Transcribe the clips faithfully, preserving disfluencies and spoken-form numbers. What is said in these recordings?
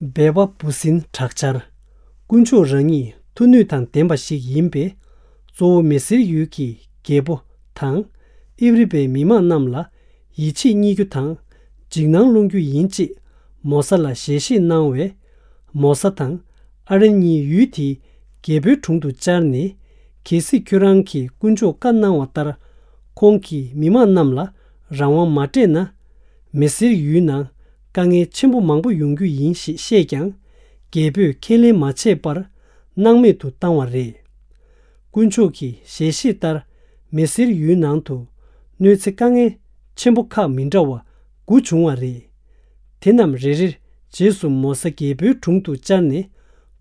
སྦལ་པ་འབུ་སྲིན་དྲག་ཆར། དཀོན་མཆོག་རང་ཉིད་མཐུ་ནུས་དང་ལྡན་པ་ཞིག་ཡིན་པས། གཙོ་བོ་མི་སེར་ཡུལ་གྱི་རྒྱལ་པོ་དང་། ཨིབ་རི་པའི་མི་མང་རྣམས་ལ་ཡིད་ཆེས་རྙེད་རྒྱུ་དང་། འཇིགས་སྣང་སློང་རྒྱུ་ཡིན་ཅེས་མོ་ས་ལ་ཞལ་བཞེས་གནང་བས། མོ་ས་དང་ཨ་རོན་གཉིས་ཡུལ་དེའི་རྒྱལ་པོའི་དྲུང་དུ་བཅར་ནས། གལ་སྲིད་ཁྱོད་རང་གིས་དཀོན་མཆོག་བཀའ་གནང་བ་ལྟར། ཁོང་གིས་མི་མང་རྣམས་ལ་རང་དབང་མ་སྤྲད་ན། མི་སེར་ཡུལ་ནང་དཀའ་ངལ་ཆེན་པོ་མང་པོ་ཡོང་རྒྱུ་ཡིན་ཞེས་བཤད་ཀྱང་། རྒྱལ་པོས་ཁས་ལེན་མ་བྱས་པར་སྣང་མེད་དུ་བཏང་བ་རེད། དཀོན་མཆོག་གི་ཞལ་བཞེས་ལྟར། མི་སེར་ཡུལ་ནང་དུ་གནོད་འཚེ་དཀའ་ངལ་ཆེན་པོ་ཁག་མི་འདྲ་བ་དགུ་བྱུང་བ་རེད། དེ་རྣམས་རེ་རེར་རྗེས་སུ་མོ་ས་རྒྱལ་པོའི་དྲུང་དུ་བཅར་ནས།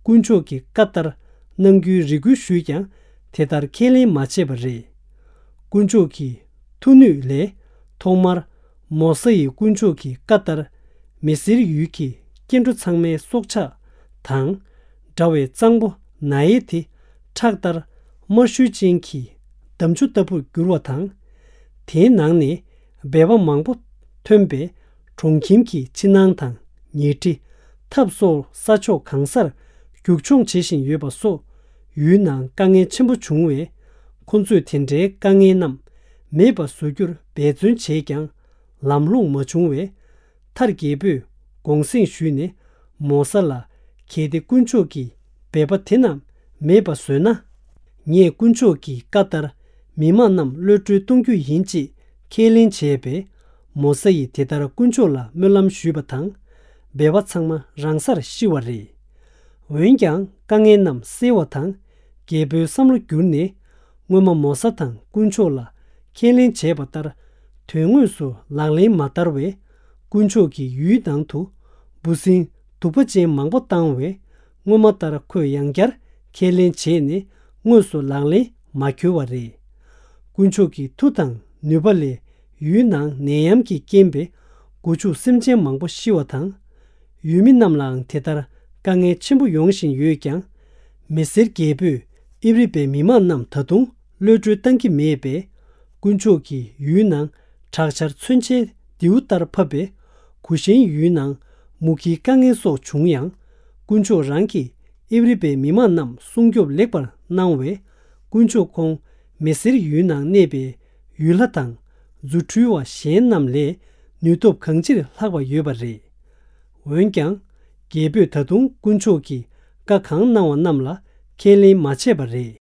དཀོན་མཆོག་གི་བཀའ་ལྟར་གནང་རྒྱུའི་རེ་སྐུལ་ཞུས་ཀྱང་། དེ་ལྟར་ཁས་ལེན་མ་བྱས་པ་རེད། དཀོན་མཆོག་གི་མཐུ་ནུས་ལས། ཐོག་མར་མོ་ས་ཡིས་དཀོན་མཆོག་གི་བཀའ་ལྟར། མི་སེར་ཡུལ་གྱི་སྐྱེ་འགྲོ་ཚང་མའི་སྲོག་ཆགས་དང་། འདྲ་བའི་གཙང་པོ་ན་ཡེ་དེ་ཁྲག་ལྟར་དམར་ཤུལ་ཅན་གྱི་འདམ་ཆུ་ལྟ་བུར་གྱུར་བ་དང་། དེའི་ནང་ནས་སྦལ་པ་མང་པོ་ཐོན་པས། གྲོང་ཁྱིམ་གྱི་ཕྱི་ནང་དང་ཉལ་ཁྲི། ཐབ་སོགས་ས་ཕྱོགས་གང་སར་རྒྱུག་མཆོང་བྱེད་བཞིན་ཡོད་པ་སོགས། ཡུལ་ནང་དཀའ་ངལ་ཆེན་པོ་བྱུང་བས། ཁོ་ཚོས་དེ་འདྲའི་དཀའ་ངལ་རྣམས་མེད་པ་བཟོ་རྒྱུར་འབད་བརྩོན་བྱས་ཀྱང་། ལམ་ལྷོང་མ་བྱུང་བས། མཐར་རྒྱལ་པོས་དགོངས་སེང་ཞུས་ནས། མོ་ས་ལ། གལ་ཏེ་དཀོན་མཆོག་གིས་སྦལ་པ་དེ་རྣམས་མེད་པ་བཟོས་ན། ངས་དཀོན་མཆོག་གི་བཀའ་ལྟར་མི་མང་རྣམས་གློད་བཀྲོལ་གཏོང་རྒྱུ་ཡིན་ཅེས་ཁས་ལེན་བྱས་པས། མོ་ས་ཡིས་དེ་ལྟར་དཀོན་མཆོག་ལ་སྨོན་ལམ་ཞུས་པ་དང་། སྦལ་པ་ཚང་མ་རང་སར་ཤི་བ་རེད། འོན་ཀྱང་དཀའ་ངལ་རྣམས་སེལ་བ་དང་། རྒྱལ་པོའི་བསམ་བློ་བསྒྱུར་ནས། སྔོན་མ་མོ་ས་དང་དཀོན་མཆོག་ལ་ཁས་ལེན་བྱས་པ་ལྟར། དོན་དངོས་སུ་ལག་ལེན་མ་བསྟར་བས། དཀོན་མཆོག་གིས་ཡུལ་ནང་དུ་འབུ་སྲིན་གདུག་པ་ཅན་མང་པོ་བཏང་བས། སྔོན་མ་ལྟར་ཁོས་ཡང་བསྐྱར་ཁས་ལེན་བྱས་ནས། དངོས་སུ་ལག་ལེན་མ་འཁྱོལ་བ་རེད། དཀོན་མཆོག་གི་མཐུ་དང་ནུས་པ་ལས། ཡུལ་ནང་ནད་ཡམས་ཀྱི་རྐྱེན་པས། སྒོ་ཕྱུགས་སེམས་ཅན་མང་པོ་ཤི་བ་དང་། ཡུལ་མི་རྣམས་ལའང་དེ་ལྟར་དཀའ་ངལ་ཆེན་པོ་ཡོང་བཞིན་ཡོད་ཀྱང་། མི་སེར་རྒྱལ་པོས་ཨིབ་རི་པའི་མི་མང་རྣམས་ད་དུང་གློད་བཀྲོལ་བཏང་གི་མེད་པས། དཀོན་མཆོག་གིས་ཡུལ་ནང་དྲག་ཆར་མཚོན་ཆའི་མདེའུ་ལྟར་ཕབ་པས། གུ་ཤན་ཡུལ་ནང་མུ་གེའི་དཀའ་ངལ་སོགས་བྱུང་ཡང་། དཀོན་མཆོག་རང་གིས་ཨིབ་རི་པའི་མི་མང་རྣམས་སྲུང་སྐྱོབ་ལེགས་པར་གནང་བས། དཀོན་མཆོག་ཁོང་མི་སེར་ཡུལ་ནང་གནས་པའི་ཡུལ་ལྷ་དང་། རྫུ་འཕྲུལ་བ་གཞན་རྣམས་ལས་ནུས་སྟོབས་གང་ཅིར་ལྷག་པ་ཡོད་པ་རེད། འོན་ཀྱང་། རྒྱལ་པོས་ད་དུང་དཀོན་མཆོག་གིས་བཀའ་གང་གནང་བ་རྣམས་ལ་ཁས་ལེན་མ་བྱས་པ་རེད།